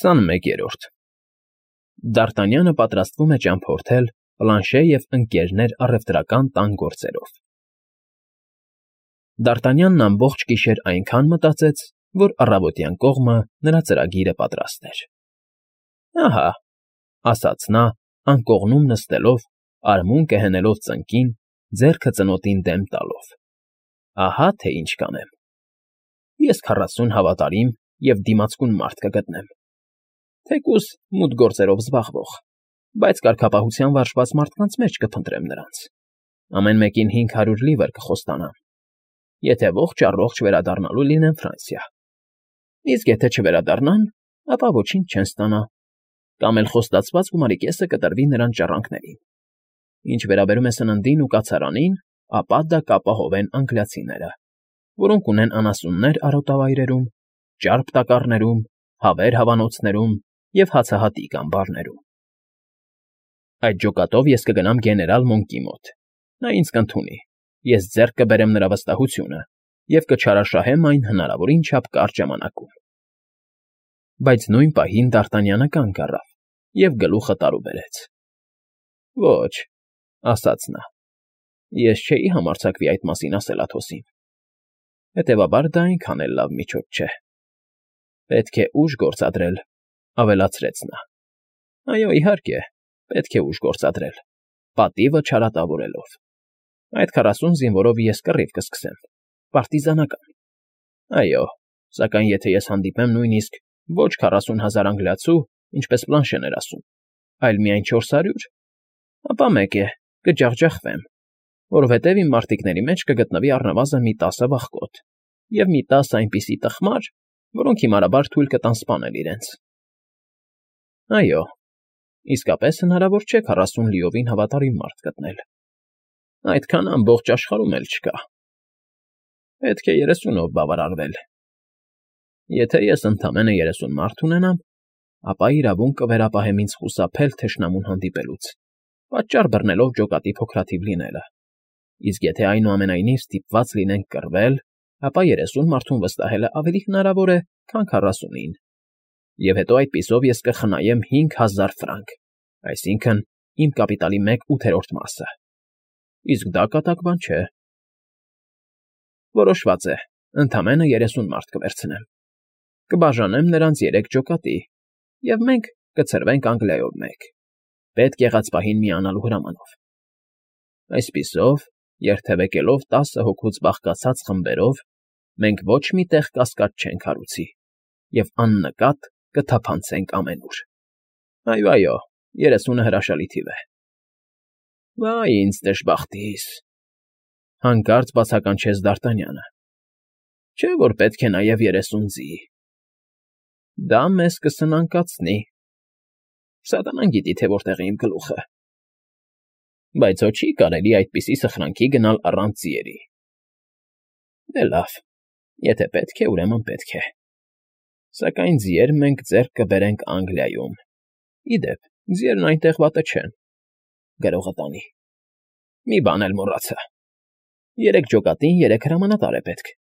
21-րդ Դ'Արտանյանը պատրաստվում է ճամփորդել Պլանշե և Ընկ. առևտրական տան գործերով։ Դ'Արտանյանն ամբողջ գիշեր այնքան մտածեց, որ առավոտյան կողմը նրա ծրագիրը պատրաստ էր։ «Ահա,֊ ասաց նա, անկողնում նստելով, արմունկը հենելով ծնկին, ձեռքը ծնոտին դեմ տալով,֊ ահա թե ինչ կանեմ. ես 40 հավատարիմ և դիմացկուն մարդ կգտնեմ, թեկուզ մութ գործերով զբաղվող, բայց կարգապահության վարժված մարդկանց մեջ կփնտրեմ նրանց, ամեն մեկին 500 լիվր կխոստանամ, եթե ողջ֊առողջ վերադառնալու լինեն Ֆրանսիա, իսկ եթե չվերադառնան, ապա ոչինչ չեն ստանա, կամ էլ խոստացված գումարի կեսը կտրվի նրանց ժառանգներին. ինչ վերաբերում է սննդին ու կացարանին, ապա դա կապահովեն անգլիացիները, որոնք ունեն անասուններ արոտավայրերում, ճարպ տակառներում, հավեր հավանոցներում և հացահատիկ ամբարներում։ Այդ ջոկատով ես կգնամ գեներալ Մոնկի մոտ, նա ինձ կընդունի, ես ձեռք կբերեմ նրա վստահությունը և կչարաշահեմ այն հնարավորին չափ կարճ ժամանակում»։ Բայց նույն պահին Դ'Արտանյանը կանգ առավ և գլուխը տարուբերեց։ «Ոչ,֊ ասաց նա,֊ ես չէի համարձակվի այդ մասին ասել Աթոսին, հետևաբար դա այնքան էլ լավ միջոց չէ։ Պետք է ուժ գործադրել,֊ ավելացրեց նա։ «Այո, իհարկե, պետք է ուժ գործադրել, պատիվը չարատավորելով։ Այդ 40 զինվորով ես կռիվ կսկսեմ, պարտիզանական։ Այո, սակայն եթե ես հանդիպեմ նույնիսկ ոչ 40,000 անգլիացու, ինչպես Պլանշեն էր ասում, այլ միայն 400, ապա մեկ է, կջախջախվեմ, որովհետև իմ մարտիկների մեջ կգտնվի առնվազն մի 10 վախկոտ և մի 10 այնպիսի տխմար, որոնք հիմարաբար թույլ կտան սպանել իրենց։ Այո, իսկապես հնարավոր չէ 40 լիովին հավատարիմ մարդ գտնել, այդքան ամբողջ աշխարհում էլ չկա։ Պետք է 30-ով բավարարվել։ Եթե ես ընդամենը 30 մարդ ունենամ, ապա իրավունք կվերապահեմ ինձ խուսափել թշնամուն հանդիպելուց, պատճառ բռնելով ջոկատի փոքրաթիվ լինելը, իսկ եթե այնուամենայնիվ ստիպված լինենք կռվել, ապա 30 մարդուն վստահելը ավելի հնարավոր է, քան 40-ին, և հետո այդպիսով ես կխնայեմ 5000 ֆրանկ, այսինքն՝ իմ կապիտալի 1/8 մասը, իսկ դա կատակ բան չէ։ Որոշված է, ընդամենը 30 մարդ կվերցնեմ, կբաժանեմ նրանց 3 ջոկատի, և մենք կցրվենք Անգլիայով մեկ, պետք եղած պահին միանալու հրամանով։ Այսպիսով, երթևեկելով 10 հոգուց բաղկացած խմբերով, մենք ոչ մի տեղ կասկած չենք հարուցի և աննկատ կթափանցենք ամենուր։ Այո, այո, 30-ը հրաշալի թիվ է։ Վայ ինձ դժբախտիս,֊ հանկարծ բացականչեց Դ'Արտանյանը, չէ՞ որ պետք է նաև 30 ձի։ Դա մեզ կսնանկացնի։ Սատանան գիտի, թե որտեղ է իմ գլուխը։ Բայց հո չի կարելի այդպիսի սխրանքի գնալ առանց ձիերի։ Դե լավ, եթե պետք է, ուրեմն պետք է։ Սակայն ձիեր մենք ձեռք կբերենք Անգլիայում։ Ի դեպ, ձիերն այնտեղ վատը չեն։ Գրողը տանի։ Մի բան էլ մոռացա. 3 ջոկատին 3 հրամանատար է պետք։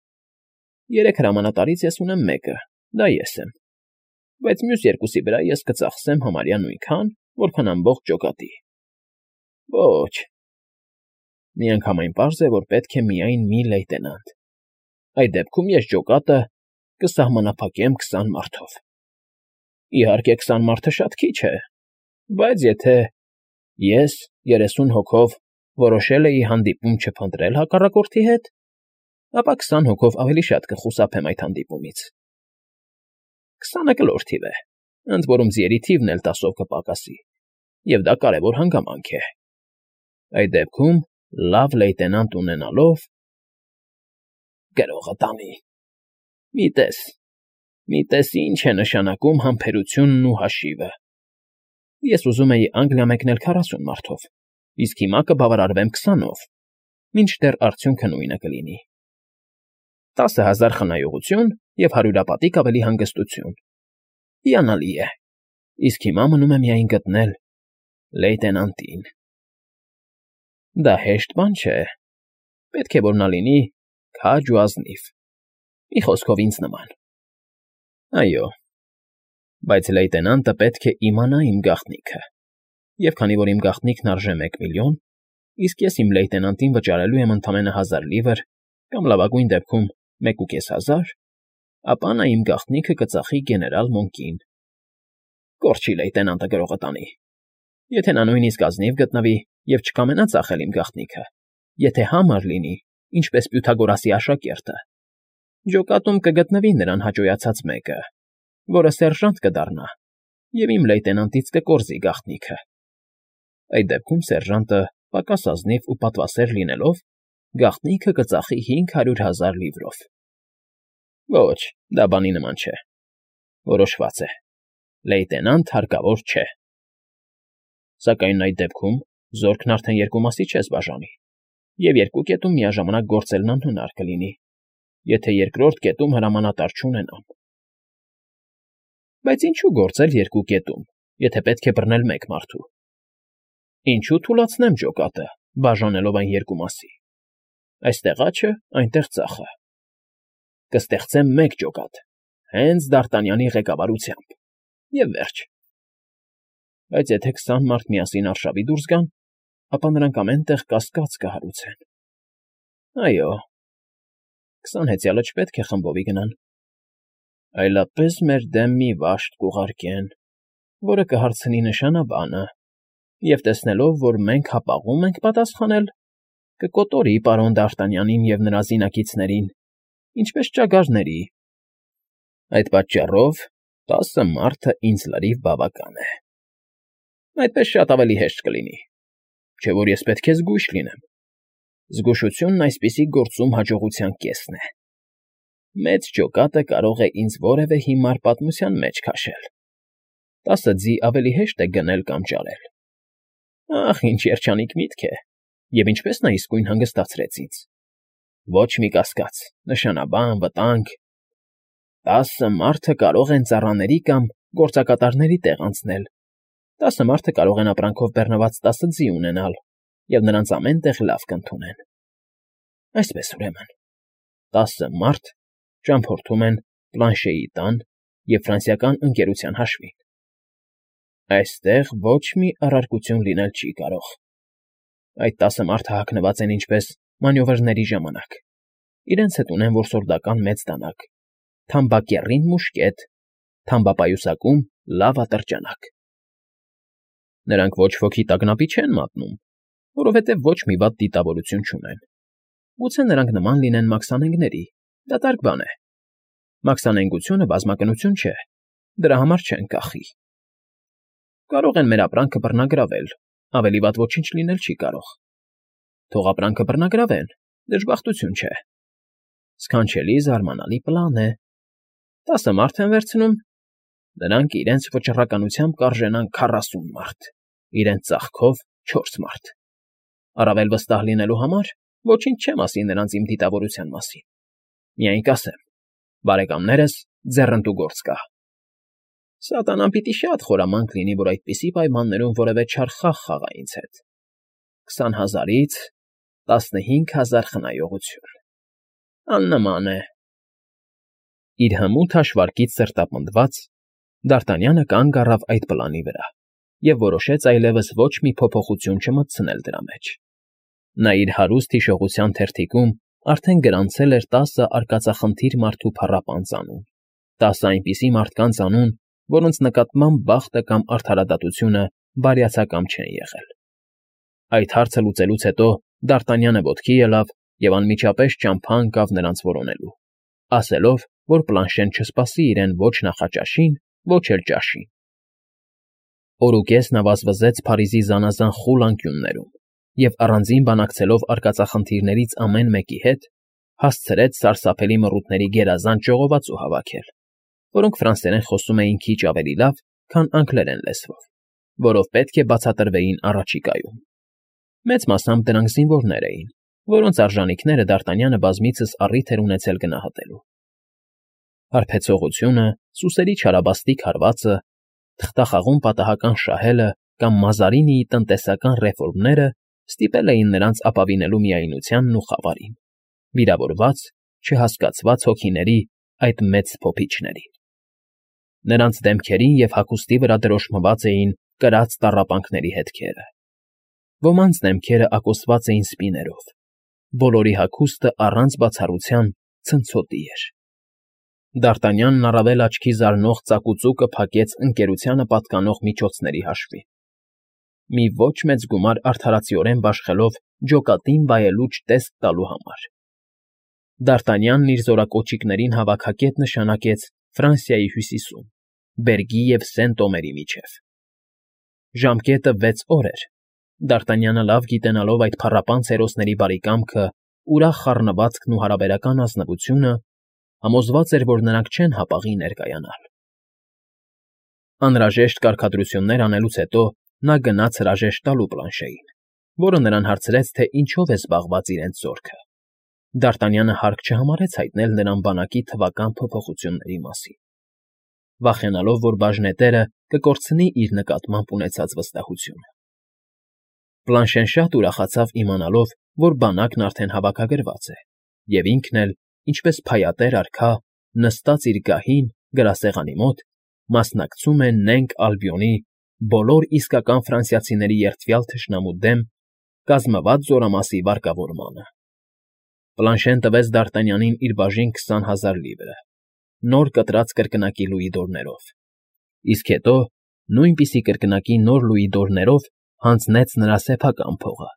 3 հրամանատարից ես ունեմ մեկը, դա ես եմ, բայց մյուս երկուսի վրա ես կծախսեմ համարյա նույնքան, որքան ամբողջ ջոկատի։ Ոչ, միանգամայն պարզ է, որ պետք է միայն մի լեյտենանտ։ Այդ դեպքում ես ջոկատը կսահմանափակեմ 20 մարդով։ Իհարկե 20 մարդը շատ քիչ է, բայց եթե ես 30 հոգով որոշել էի հանդիպում չփնտրել հակառակորդի հետ, ապա 20 հոգով ավելի շատ կխուսափեմ այդ հանդիպումից։ 20-ը կլոր թիվ է, ընդ որում ձիերի թիվն էլ 10-ով կպակասի, և դա կարևոր հանգամանք է։ Այդ դեպքում լավ լեյտենանտ ունենալով… Գրողը տանի։ Մի տես ինչ է նշանակում համբերությունն ու հաշիվը։ Ես ուզում էի Անգլիա մեկնել 40 մարդով, իսկ հիմա կբավարարվեմ 20-ով, մինչդեռ արդյունքը նույնը կլինի։ 10,000 խնայողություն և հարյուրապատիկ ավելի հանգստություն։ Հիանալի է, իսկ հիմա մնում է միայն գտնել լեյտենանտին։ Դա հեշտ բան չէ, պետք է որ նա լինի քաջ ու ազնիվ, մի խոսքով ինձ նման։ Այո, Բայց լեյտենանտը պետք է իմանա իմ գաղտնիքը, և քանի որ իմ գաղտնիքն արժե 1,000,000, իսկ ես իմ լեյտենանտին վճարելու եմ ընդամենը 1000 լիվր կամ լավագույն դեպքում 1,500, ապա նա իմ գաղտնիքը կծախի գեներալ Մոնկին։ Կորչի լեյտենանտը գրողը տանի։ Եթե նա նույնիսկ ազնիվ գտնվի և չկամենա ծախել իմ գաղտնիքը, եթե համառ լինի, ինչպես Պյութագորասի աշակերտը, ջոկատում կգտնվի նրան հաճոյացած մեկը, որը սերժանտ կդառնա և իմ լեյտենանտից կկորզի գաղտնիքը։ Այդ դեպքում սերժանտը, պակաս ազնիվ ու պատվասեր լինելով, գաղտնիքը կծախի 500,000 լիվրով։ Ոչ, դա բանի նման չէ։ Որոշված է. լեյտենանտ հարկավոր չէ։ Սակայն այդ դեպքում զորքն արդեն երկու մասի չես բաժանի, և երկու կետում միաժամանակ գործելն անհնար կլինի, եթե երկրորդ կետում հրամանատար չունենամ։ Բայց ինչու գործել երկու կետում, եթե պետք է բռնել մեկ մարդու։ Ինչու թուլացնեմ ջոկատը, բաժանելով այն երկու մասի։ Այստեղ աջը, այնտեղ ծախը։ Կստեղծեմ մեկ ջոկատ, հենց Դ'Արտանյանի ղեկավարությամբ, և վերջ։ Բայց եթե 20 մարդ միասին արշավի դուրս գան, ապա նրանք ամեն տեղ կասկած կհարուցեն։ Այո, 20 հեծյալը չպետք է խմբովի գնան։ Այլապես մեր դեմ մի վաշտ կուղարկեն, որը կհարցնի նշանաբանը, և տեսնելով, որ մենք հապաղում ենք պատասխանել, կկոտորի պարոն Դ'Արտանյանին և նրա զինակիցներին, ինչպես ճագարների։ Այդ պատճառով 10 մարդը ինձ լրիվ բավական է։ Այդպես շատ ավելի հեշտ կլինի, չէ՞ որ ես պետք է զգույշ լինեմ։ Զգուշությունն այսպիսի գործում հաջողության կեսն է։ Մեծ ջոկատը կարող է ինձ որևէ հիմար պատմության մեջ քաշել։ 10 ձի ավելի հեշտ է գնել կամ ճարել։ Ախ, ինչ երջանիկ միտք է, և ինչպես նա իսկույն հանգստացրեց ինձ։ Ոչ մի կասկած, նշանաբան, վտանգ։ 10 մարդը կարող են ծառաների կամ գործակատարների տեղ անցնել։ 10 մարդը կարող են ապրանքով բեռնված 10 ձի ունենալ, և նրանց ամեն տեղ լավ կընդունեն։ Այսպես ուրեմն, 10 մարդ ճամփորդում են Պլանշեի տան և ֆրանսիական ընկերության հաշվին։ Այստեղ ոչ մի առարկություն լինել չի կարող։ Այդ 10 մարդը հագնված են ինչպես մանյովրների ժամանակ։ Իրենց հետ ունեն որսորդական մեծ դանակ, թամբակեռին մուշկետ, թամբապայուսակում լավ ատրճանակ։ Նրանք ոչ ոքի տագնապի չեն մատնում, որովհետև ոչ մի վատ դիտավորություն չունեն։ Գուցե նրանք նման լինեն մաքսանենգների, դատարկ բան է։ Մաքսանենգությունը բազմակնություն չէ, դրա համար չեն կախի։ Կարող են մեր ապրանքը բռնագրավել, ավելի վատ ոչինչ լինել չի կարող։ Թող ապրանքը բռնագրավեն, դժբախտություն չէ։ Սքանչելի զարմանալի պլան է։ 10 մարդ են վերցնում, նրանք իրենց վճռականությամբ կարժենան 40 մարդ, իրենց ծախքով 4 մարդ։ Առավել վստահ լինելու համար ոչինչ չեմ ասի նրանց իմ դիտավորության մասին։ Միայն կասեմ. բարեկամներս, ձեռնտու գործ կա։ Սատանան պիտի շատ խորամանկ լինի, որ այդպիսի պայմաններում որևէ չար խաղ խաղա ինձ հետ։ 20,000-ից 15,000 խնայողություն։ Աննման է։ Իր հմուտ հաշվարկից սրտապնդված, Դ'Արտանյանը կանգ առավ այդ պլանի վրա և որոշեց այլևս ոչ մի փոփոխություն չմտցնել դրա մեջ։ Նա իր հարուստ հիշողության թերթիկում արդեն գրանցել էր 10 արկածախնդիր մարդու փառապանծ անուն, 10 այնպիսի մարդկանց անուն, որոնց նկատմամբ բախտը կամ արդարադատությունը բարյացակամ չեն եղել։ Այդ հարցը լուծելուց հետո Դ'Արտանյանը ոտքի ելավ և անմիջապես ճամփա ընկավ նրանց որոնելու, ասելով, որ Պլանշեն չսպասի իրեն ոչ նախաճաշին, ոչ էլ ճաշին։ Օրուկես նա վազվզեց Փարիզի զանազան խուլ անկյուններում և առանձին բանակցելով արկածախնդիրներից ամեն մեկի հետ, հասցրեց սարսափելի մռութների գերազանց ժողովածու հավաքել, որոնք ֆրանսերեն խոսում էին քիչ ավելի լավ, քան անգլերեն լեզվով, որով պետք է բացատրվեին առաջիկայում։ Մեծ մասամբ դրանք զինվորներ էին, որոնց արժանինքները Դ'Արտանյանը բազմիցս առիթ էր ունեցել գնահատելու։ Հարբեցողությունը, սուսերի չարաբաստիկ հարվածը, թղթախաղում պատահական շահելը կամ Մազարինիի տնտեսական ռեֆորմները ստիպել էին նրանց ապավինելու միայնությանն ու խավարին, վիրավորված, չհասկացված հոգիների այդ մեծ փոփիչներին։ Նրանց դեմքերին և հագուստի վրա դրոշմված էին կրած տառապանքների հետքերը։ Ոմանց դեմքերը ակոսված էին սպիներով, բոլորի հագուստը առանց բացառության ցնցոտի էր։ Դ'Արտանյանն առավել աչքի զարնող ծակուծուկը փակեց ընկերությանը պատկանող միջոցների հաշվին։ Մի ոչ մեծ գումար արդարացիորեն բաշխելով ջոկատին վայելուչ տեսք տալու համար։ Դ'Արտանյանն իր զորակոչիկներին հավաքակետ նշանակեց Ֆրանսիայի հյուսիսում, Բերգի և Սեն֊Տոմերի միջև։ Ժամկետը 6 օր էր։ Դ'Արտանյանը լավ գիտենալով այդ փառապանծ հերոսների բարեկամքը, ուրախ խառնվածքն ու հարաբերական ազնվությունը, համոզված էր, որ նրանք չեն հապաղի ներկայանալ։ Անհրաժեշտ կարգադրություններ անելուց հետո նա գնաց հրաժեշտ տալու Պլանշեին, որը նրան հարցրեց, թե ինչով է զբաղված իրենց զորքը։ Դ'Արտանյանը հարկ չհամարեց հայտնել նրան բանակի թվական փոփոխությունների մասին, վախենալով, որ բաժնետերը կկորցնի իր նկատմամբ ունեցած վստահությունը։ Պլանշեն շատ ուրախացավ իմանալով, որ բանակն արդեն հավաքագրված է, և ինքն էլ, ինչպես փայատեր արքա, նստած իր գահին գրասեղանի մոտ, մասնակցում է Նենք Ալբիոնի բոլոր իսկական ֆրանսիացիների երդվյալ թշնամու դեմ կազմված զորամասի վարկավորմանը։ Պլանշեն տվեց Դ'Արտանյանին իր բաժին 20,000 լիվրը, նոր կտրած կրկնակի լուիդորներով, իսկ հետո նույնպիսի կրկնակի նոր լուիդորներով հանձնեց նրա սեփական փողը։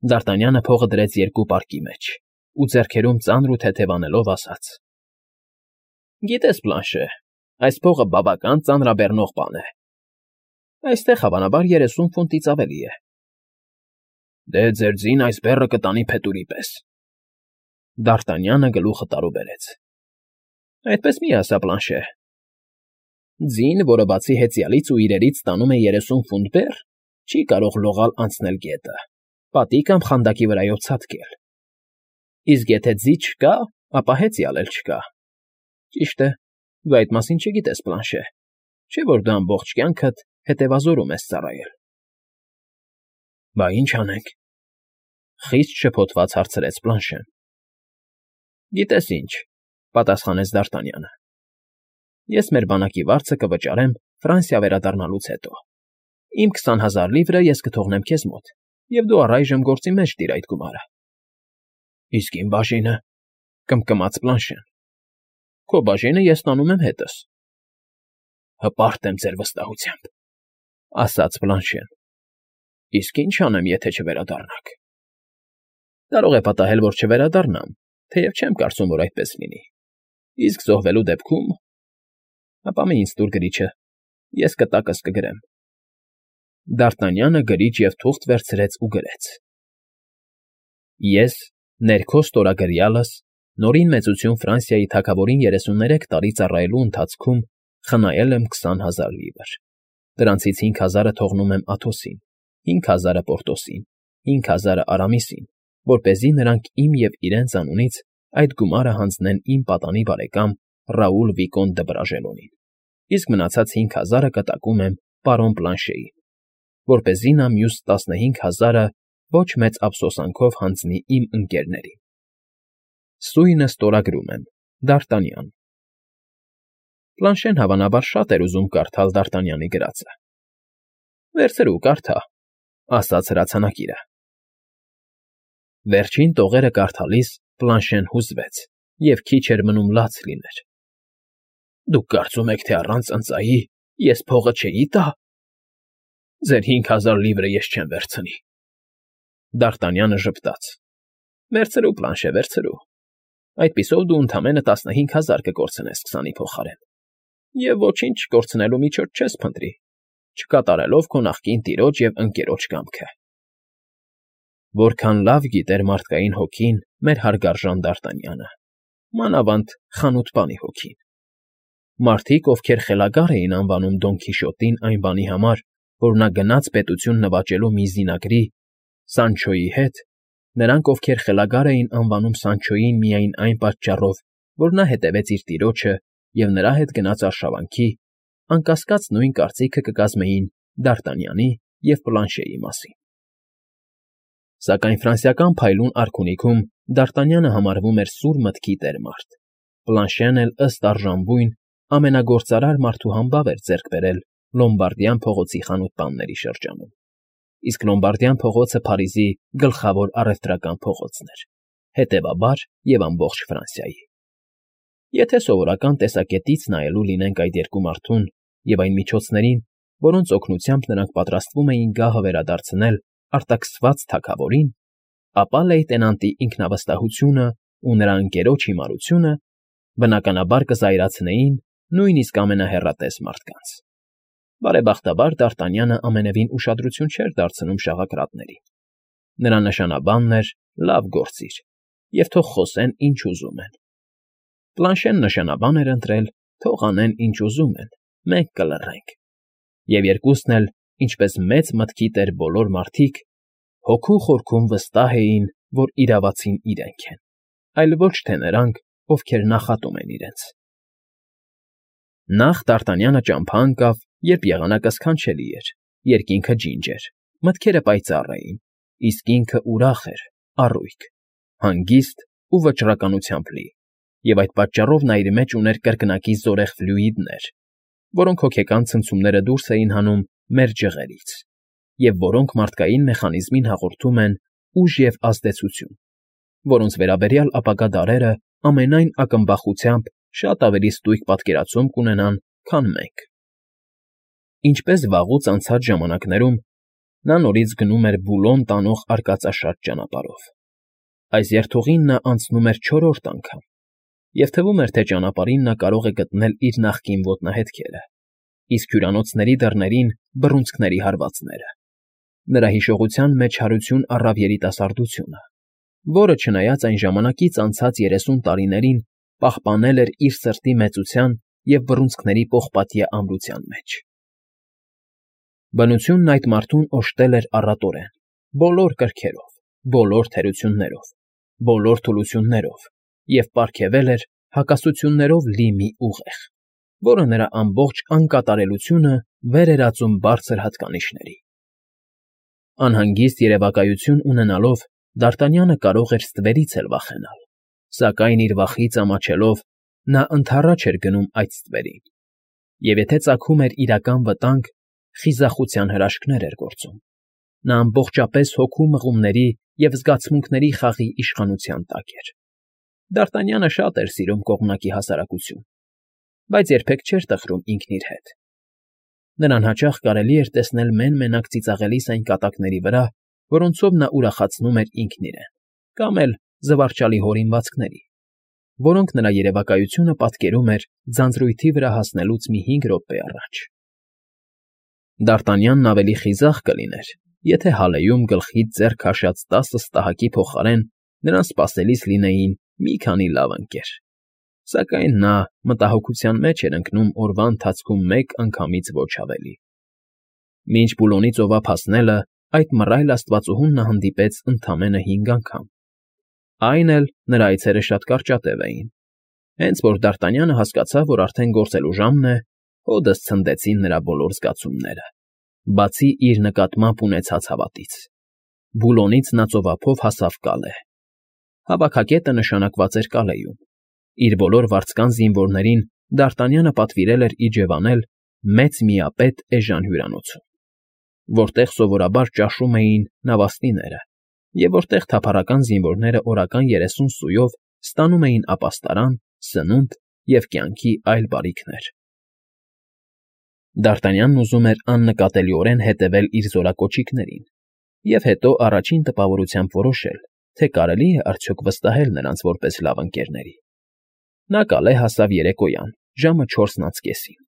Դ'Արտանյանը փողը դրեց երկու պարկի մեջ ու ձեռքերում ծանր ու թեթևանելով ասաց. «Գիտես, Պլանշե, այս փողը բավական ծանրաբեռնող բան է։ Այստեղ հավանաբար 30 ֆունտից ավելի է»։ «Դե ձեր ձին այս բեռը կտանի փետուրի պես»։ Դ'Արտանյանը գլուխը տարուբերեց։ «Այդպես մի ասա, Պլանշե։ Ձին, որը բացի հեծյալից ու իրերից ստանում է 30 ֆունտ բեռ, չի կարող լողալ անցնել գետը, պատի կամ խանդակի վրայով ցատկել։ Իսկ եթե ձի չկա, ապա հեծյալ էլ չկա։ Ճիշտ է, դու այդ մասին չգիտես, Պլանշե, չէ՞ որ դու ամբողջ կյանքդ հետևազորում ես ծառայել»։ «Բա ինչ անենք», խիստ շփոթված հարցրեց Պլանշեն։ «Գիտես ինչ», պատասխանեց Դ'Արտանյանը, «ես մեր բանակի վարձը կվճարեմ Ֆրանսիա վերադառնալուց հետո։ Իմ 20,000 լիվրը ես կթողնեմ քեզ մոտ, և դու առայժմ գործի մեջ տիր այդ գումարը»։ «Իսկ իմ բաժինը», կմկմաց Պլանշեն։ «Քո բաժինը ես տանում եմ հետս»։ «Հպարտ եմ ձեր վստահությամբ», ասաց Պլանշեն։ «Իսկ ինչ անեմ, եթե չվերադառնաք»։ «Կարող է պատահել, որ չվերադառնամ, թեև չեմ կարծում, որ այդպես լինի։ Իսկ զոհվելու դեպքում… Ապա մի ինձ տուր գրիչը, ես կտակս կգրեմ»։ Դ'Արտանյանը գրիչ և թուղթ վերցրեց ու գրեց. «Ես, ներքո ստորագրյալս, Նորին Մեծություն Ֆրանսիայի թագավորին 33 տարի ծառայելու ընթացքում խնայել եմ 20,000 լիվր։ Դրանցից 5,000-ը թողնում եմ Աթոսին, 5,000-ը Պորտոսին, 5,000-ը Արամիսին, որպեսզի նրանք իմ և իրենց անունից այդ գումարը հանձնեն իմ պատանի բարեկամ Ռաուլ Վիկոն դը Բրաժելոնին, իսկ մնացած 5,000-ը կտակում եմ պարոն Պլանշեին, որպեսզի նա մյուս 15,000-ը ոչ մեծ ափսոսանքով հանձնի իմ ընկերներին։ Սույնը ստորագրում եմ, Դ'Արտանյան»։ Պլանշեն հավանաբար շատ էր ուզում կարդալ Դ'Արտանյանի գրածը։ «Վերցրու, կարդա», ասաց հրացանակիրը։ Վերջին տողերը կարդալիս Պլանշեն հուզվեց և քիչ էր մնում լաց լիներ։ «Դուք կարծում եք, թե առանց ընծայի ես փողը չէի տա։ Ձեր 5,000 լիվրը ես չեմ վերցնի»։ Դ'Արտանյանը ժպտաց. «Վերցրու, Պլանշե, վերցրու։ Այդպիսով դու ընդամենը 15,000 կկորցնես 20-ի փոխարեն, և ոչինչ չկորցնելու միջոց չես փնտրի, չկատարելով քո նախկին տիրոջ և ընկերոջ կամքը»։ Որքան լավ գիտեր մարդկային հոգին մեր հարգարժան Դ'Արտանյանը, մանավանդ խանութպանի հոգին։ Մարդիկ, ովքեր խելագար էին անվանում Դոն Քիշոտին այն բանի համար, որ նա գնաց պետություն նվաճելու մի զինակրի Սանչոյի հետ, նրանք, ովքեր խելագար էին անվանում Սանչոյին միայն այն պատճառով, որ նա հետևեց իր տիրոջը և նրա հետ գնաց արշավանքի, անկասկած նույն կարծիքը կկազմեին Դ'Արտանյանի և Պլանշեի մասին։ Սակայն ֆրանսիական փայլուն արքունիքում Դ'Արտանյանը համարվում էր սուր մտքի տեր մարդ, Պլանշեն էլ ըստ արժանվույն ամենագործարար մարդու համբավ էր ձեռք բերել Լոմբարդյան փողոցի խանութ֊պանների շրջանում, իսկ Լոմբարդյան փողոցը Փարիզի գլխավոր առևտրական փողոցն էր, հետևաբար և ամբողջ Ֆրանսիայի։ Եթե սովորական տեսակետից նայելու լինենք այդ երկու մարդուն և այն միջոցներին, որոնց օգնությամբ նրանք պատրաստվում էին գահը վերադարձնել արտաքսված թագավորին, ապա լեյտենանտի ինքնավստահությունը ու նրա ընկերոջ հիմարությունը բնականաբար կզայրացնեին նույնիսկ ամենահեռատես մարդկանց։ Բարեբախտաբար Դ'Արտանյանը ամենևին ուշադրություն չէր դարձնում շաղակրատներին։ Նրա նշանաբանն էր «լավ գործիր» և թող խոսեն ինչ ուզում են։ Պլանշեն նշանաբան էր ընտրել «թող անեն ինչ ուզում են, մենք կլռենք»։ Եվ երկուսն էլ, ինչպես մեծ մտքի տեր բոլոր մարդիկ, հոգու խորքում վստահ էին, որ իրավացին իրենք են, այլ ոչ թե նրանք, ովքեր նախատում են իրենց։ Նախ Դ'Արտանյանը ճամփա ընկավ, երբ եղանակը սքանչելի էր, երկինքը ջինջ էր, մտքերը պայծառ էին, իսկ ինքը ուրախ էր, առույգ, հանգիստ ու վճռականությամբ լի, և այդ պատճառով նա իր մեջ ուներ կրկնակի զորեղ ֆլյուիդներ, որոնք հոգեկան ցնցումները դուրս էին հանում մեր ջղերից, և որոնք մարդկային մեխանիզմին հաղորդում են ուժ և ազդեցություն, որոնց վերաբերյալ ապագա դարերը ամենայն ակնբախությամբ շատ ավելի ստույգ պատկերացում կունենան, քան մենք։ Ինչպես վաղուց անցած ժամանակներում նա նորից գնում էր Բուլոն տանող արկածաշատ ճանապարհով։ Այս երթուղին նա անցնում էր չորրորդ անգամ, և թվում էր, թե ճանապարհին նա կարող է գտնել իր նախկին ոտնահետքերը, իսկ հյուրանոցների դռներին բռունցքների հարվածները։ Նրա հիշողության մեջ հարություն առավ երիտասարդությունը, որը, չնայած այն ժամանակից անցած 30 տարիներին, պահպանել էր իր սրտի մեծության և բռունցքների պողպատյա ամրության մեջ։ Բնությունն այդ մարդուն օժտել էր առատորեն, բոլոր կրքերով, բոլոր թերություններով, բոլոր թուլություններով և պարգևել էր հակասություններով լի մի ուղեղ, որը նրա ամբողջ անկատարելությունը վեր էր ածում բարձր հատկանիշների։ Անհանգիստ երևակայություն ունենալով Դ'Արտանյանը կարող էր ստվերից էլ վախենալ, սակայն իր վախից ամաչելով նա ընդառաջ էր գնում այդ ստվերին, և եթե ծագում էր իրական վտանգ, խիզախության հրաշքներ էր գործում։ Նա ամբողջապես հոգու մղումների և զգացմունքների խաղի իշխանության տակ էր։ Դ'Արտանյանը շատ էր սիրում կողմնակի հասարակություն, բայց երբեք չէր տխրում ինքն իր հետ։ Նրան հաճախ կարելի էր տեսնել մեն֊մենակ ծիծաղելիս այն կատակների վրա, որոնցով նա ուրախացնում էր ինքն իրեն, կամ էլ զվարճալի հորինվածքների, որոնք նրա երևակայությունը պատկերում էր ձանձրույթի վրա հասնելուց մի 5 րոպե առաջ։ Դ'Արտանյանն ավելի խիզախ կլիներ, եթե հալեում գլխից ձեռք քաշած 10 ստահակի փոխարեն նրան սպասելիս լինեին մի քանի լավ ընկեր, սակայն նա մտահոգության մեջ էր ընկնում օրվա ընթացքում մեկ անգամից ոչ ավելի։ Մինչ Բուլոնի ծովափ հասնելը այդ մռայլ աստվածուհուն նա հանդիպեց ընդամենը 5 անգամ։ Այն էլ նրա այցերը շատ կարճատև էին։ Հենց որ Դ'Արտանյանը հասկացավ, որ արդեն գործելու ժամն է, հօդս ցնդեցին նրա բոլոր զգացումները, բացի իր նկատմամբ ունեցած հավատից։ Բուլոնից նա ծովափով հասավ Կալե։ Հավաքակետը նշանակված էր Կալեում։ Իր բոլոր վարձկան զինվորներին Դ'Արտանյանը պատվիրել էր իջևանել մեծ միապետ էժան հյուրանոցում, որտեղ սովորաբար ճաշում էին նավաստիները և որտեղ թափառական զինվորները օրական 30 սույով ստանում էին ապաստարան, սնունդ և կյանքի այլ բարիքներ։ Դ'Արտանյանն ուզում էր աննկատելիորեն հետևել իր զորակոչիկներին և հետո առաջին տպավորությամբ որոշել, թե կարելի է արդյոք վստահել նրանց որպես լավ ընկերների։ Նա Կալե հասավ երեկոյան, ժամը 4:30-ին։